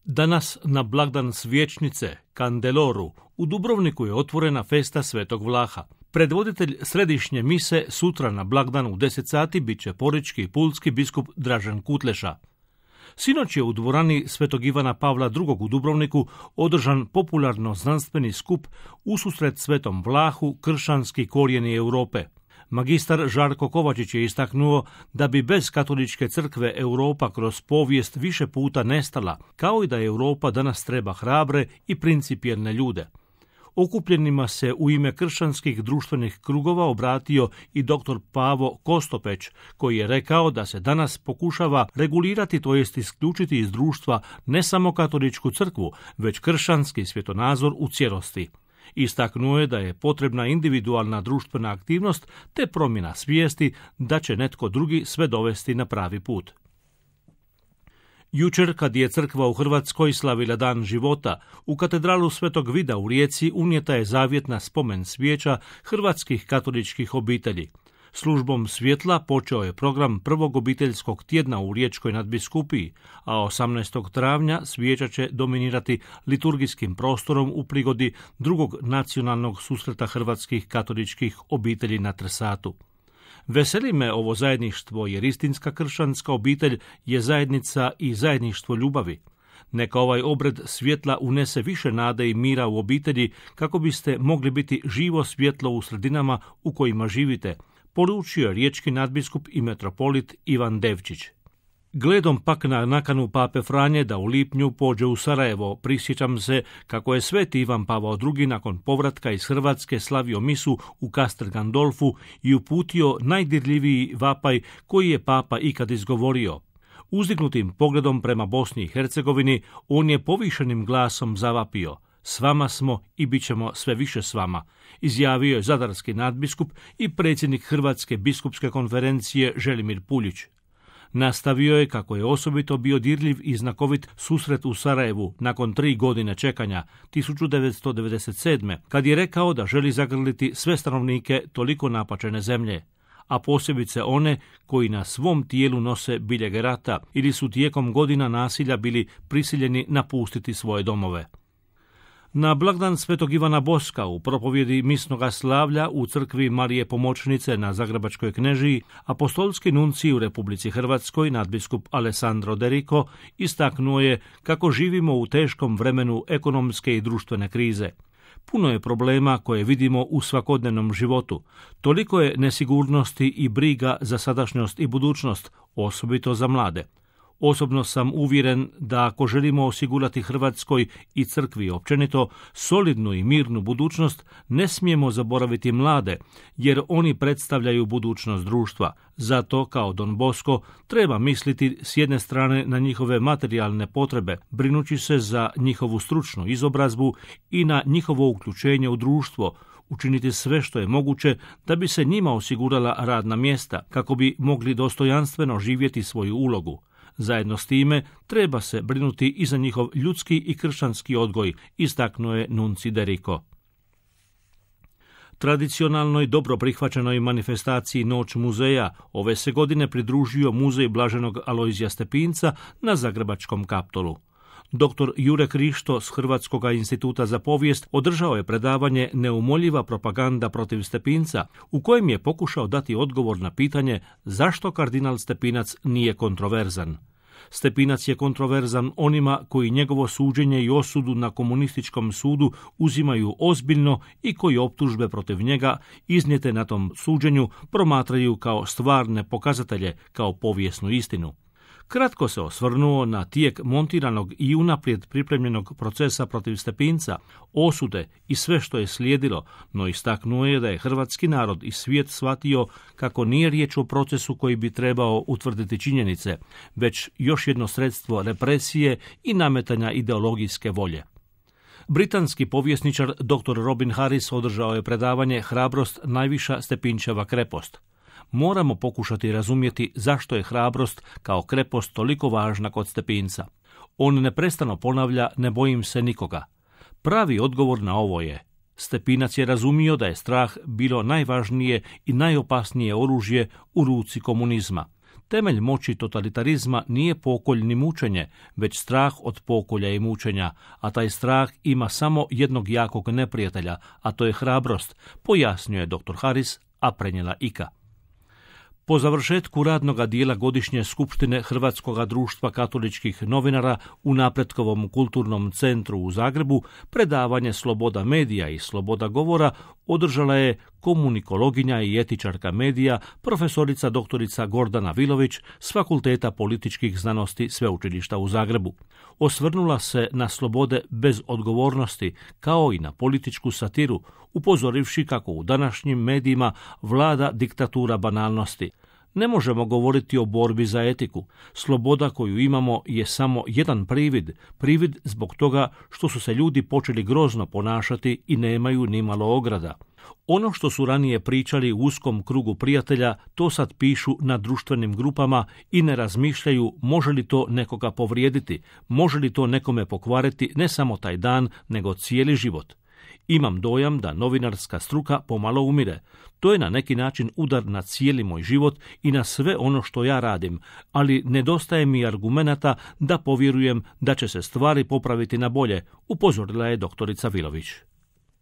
Danas na blagdan Svječnice, Kandeloru, u Dubrovniku je otvorena festa Svetog Vlaha. Predvoditelj središnje mise sutra na blagdan u 10 sati bit će porečki i pulski biskup Dražen Kutleša. Sinoć je u dvorani Svetog Ivana Pavla II. U Dubrovniku održan popularno-znanstveni skup ususret Svetom Vlahu, kršćanski korijeni Europe. Magistar Žarko Kovačić je istaknuo da bi bez katoličke crkve Europa kroz povijest više puta nestala, kao i da Europa danas treba hrabre i principijelne ljude. Okupljenima se u ime kršćanskih društvenih krugova obratio i dr. Pavo Kostopeć, koji je rekao da se danas pokušava regulirati, to jest isključiti iz društva ne samo katoličku crkvu, već kršćanski svjetonazor u cijelosti. Istaknuo je da je potrebna individualna društvena aktivnost te promjena svijesti da će netko drugi sve dovesti na pravi put. Jučer, kad je crkva u Hrvatskoj slavila dan života, u katedralu Svetog Vida u Rijeci unijeta je zavjetna spomen svijeća hrvatskih katoličkih obitelji. Službom svjetla počeo je program prvog obiteljskog tjedna u Riječkoj nadbiskupiji, a 18. travnja svijeća će dominirati liturgijskim prostorom u prigodi drugog nacionalnog susreta hrvatskih katoličkih obitelji na Trsatu. Veseli me ovo zajedništvo jer istinska kršćanska obitelj je zajednica i zajedništvo ljubavi. Neka ovaj obred svjetla unese više nade i mira u obitelji kako biste mogli biti živo svjetlo u sredinama u kojima živite, poručio je riječki nadbiskup i metropolit Ivan Devčić. Gledom pak na nakanu pape Franje da u lipnju pođe u Sarajevo, prisjećam se kako je sveti Ivan Pavao II. Nakon povratka iz Hrvatske slavio misu u Castel Gandolfu i uputio najdirljiviji vapaj koji je papa ikad izgovorio. Uzdignutim pogledom prema Bosni i Hercegovini on je povišenim glasom zavapio: "S vama smo i bit ćemo sve više s vama", izjavio je zadarski nadbiskup i predsjednik Hrvatske biskupske konferencije Želimir Puljić. Nastavio je kako je osobito bio dirljiv i znakovit susret u Sarajevu nakon 3 godine čekanja, 1997. kad je rekao da želi zagrliti sve stanovnike toliko napačene zemlje, a posebice one koji na svom tijelu nose biljege rata ili su tijekom godina nasilja bili prisiljeni napustiti svoje domove. Na blagdan Svetog Ivana Boska u propovjedi misnoga slavlja u crkvi Marije Pomoćnice na Zagrebačkoj Knežiji apostolski nuncij u Republici Hrvatskoj nadbiskup Alessandro De Rico istaknuo je kako živimo u teškom vremenu ekonomske i društvene krize. Puno je problema koje vidimo u svakodnevnom životu. Toliko je nesigurnosti i briga za sadašnjost i budućnost, osobito za mlade. Osobno sam uvjeren da ako želimo osigurati Hrvatskoj i crkvi općenito solidnu i mirnu budućnost, ne smijemo zaboraviti mlade, jer oni predstavljaju budućnost društva. Zato, kao Don Bosco, treba misliti s jedne strane na njihove materijalne potrebe, brinući se za njihovu stručnu izobrazbu i na njihovo uključenje u društvo, učiniti sve što je moguće da bi se njima osigurala radna mjesta, kako bi mogli dostojanstveno živjeti svoju ulogu. Zajedno s time treba se brinuti i za njihov ljudski i kršćanski odgoj, istaknuo je nuncij De Rico. Tradicionalnoj dobro prihvaćenoj manifestaciji Noć muzeja ove se godine pridružio Muzej Blaženog Alojzija Stepinca na Zagrebačkom Kaptolu. Dr. Jure Krišto s Hrvatskog instituta za povijest održao je predavanje Neumoljiva propaganda protiv Stepinca, u kojem je pokušao dati odgovor na pitanje zašto kardinal Stepinac nije kontroverzan. Stepinac je kontroverzan onima koji njegovo suđenje i osudu na komunističkom sudu uzimaju ozbiljno i koji optužbe protiv njega iznijete na tom suđenju promatraju kao stvarne pokazatelje, kao povijesnu istinu. Kratko se osvrnuo na tijek montiranog i unaprijed pripremljenog procesa protiv Stepinca, osude i sve što je slijedilo, no istaknuo je da je hrvatski narod i svijet shvatio kako nije riječ o procesu koji bi trebao utvrditi činjenice, već još jedno sredstvo represije i nametanja ideologijske volje. Britanski povjesničar dr. Robin Harris održao je predavanje Hrabrost najviša Stepinčeva krepost. Moramo pokušati razumjeti zašto je hrabrost kao krepost toliko važna kod Stepinca. On neprestano ponavlja: "Ne bojim se nikoga." Pravi odgovor na ovo je: Stepinac je razumio da je strah bilo najvažnije i najopasnije oružje u ruci komunizma. Temelj moći totalitarizma nije pokolj ni mučenje, već strah od pokolja i mučenja, a taj strah ima samo jednog jakog neprijatelja, a to je hrabrost, pojasnio je dr. Haris, a prenijela Ika. Po završetku radnoga dijela godišnje skupštine Hrvatskoga društva katoličkih novinara u Napretkovom kulturnom centru u Zagrebu, predavanje Sloboda medija i sloboda govora održala je komunikologinja i etičarka medija, profesorica doktorica Gordana Vilović s Fakulteta političkih znanosti Sveučilišta u Zagrebu. Osvrnula se na slobode bez odgovornosti, kao i na političku satiru, upozorivši kako u današnjim medijima vlada diktatura banalnosti. Ne možemo govoriti o borbi za etiku. Sloboda koju imamo je samo jedan privid zbog toga što su se ljudi počeli grozno ponašati i nemaju nimalo ograda. Ono što su ranije pričali u uskom krugu prijatelja, to sad pišu na društvenim grupama i ne razmišljaju može li to nekoga povrijediti, može li to nekome pokvariti ne samo taj dan, nego cijeli život. Imam dojam da novinarska struka pomalo umire. To je na neki način udar na cijeli moj život i na sve ono što ja radim, ali nedostaje mi argumenata da povjerujem da će se stvari popraviti na bolje, upozorila je doktorica Vilović.